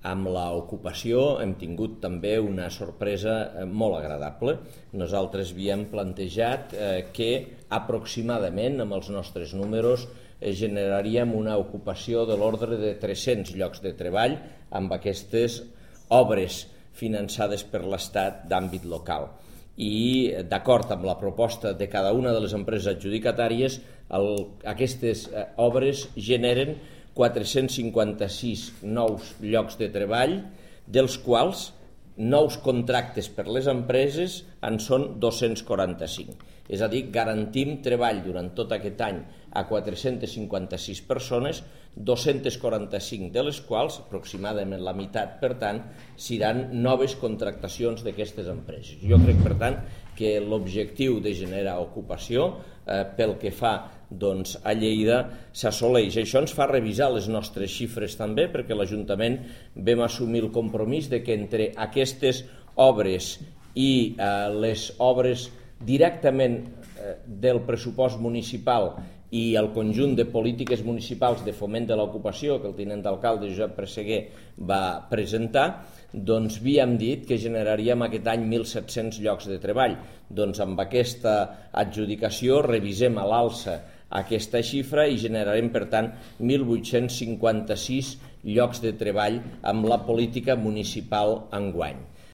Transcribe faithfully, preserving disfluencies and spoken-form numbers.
Amb l'ocupació hem tingut també una sorpresa molt agradable. Nosaltres havíem plantejat que aproximadament, amb els nostres números, generaríem una ocupació de l'ordre de tres-cents llocs de treball amb aquestes obres finançades per l'Estat d'àmbit local. I, d'acord amb la proposta de cada una de les empreses adjudicatàries, el, aquestes eh, obres generen quatre-cents cinquanta-sis nous llocs de treball, dels quals nous contractes per les empreses en són dos-cents quaranta-cinc. És a dir, garantim treball durant tot aquest any a quatre-cents cinquanta-sis persones, dos-cents quaranta-cinc de les quals, aproximadament la meitat, per tant, seran noves contractacions d'aquestes empreses. Jo crec, per tant, que l'objectiu de generar ocupació eh, pel que fa doncs, a Lleida s'assoleix. Això ens fa revisar les nostres xifres també, perquè l'Ajuntament vam assumir el compromís de que entre aquestes obres i eh, les obres directament eh, del pressupost municipal i el conjunt de polítiques municipals de foment de l'ocupació que el tinent d'alcalde Josep Presseguer va presentar, doncs havíem dit que generaríem aquest any mil set-cents llocs de treball. Doncs amb aquesta adjudicació revisem a l'alça aquesta xifra i generarem, per tant, mil vuit-cents cinquanta-sis llocs de treball amb la política municipal enguany.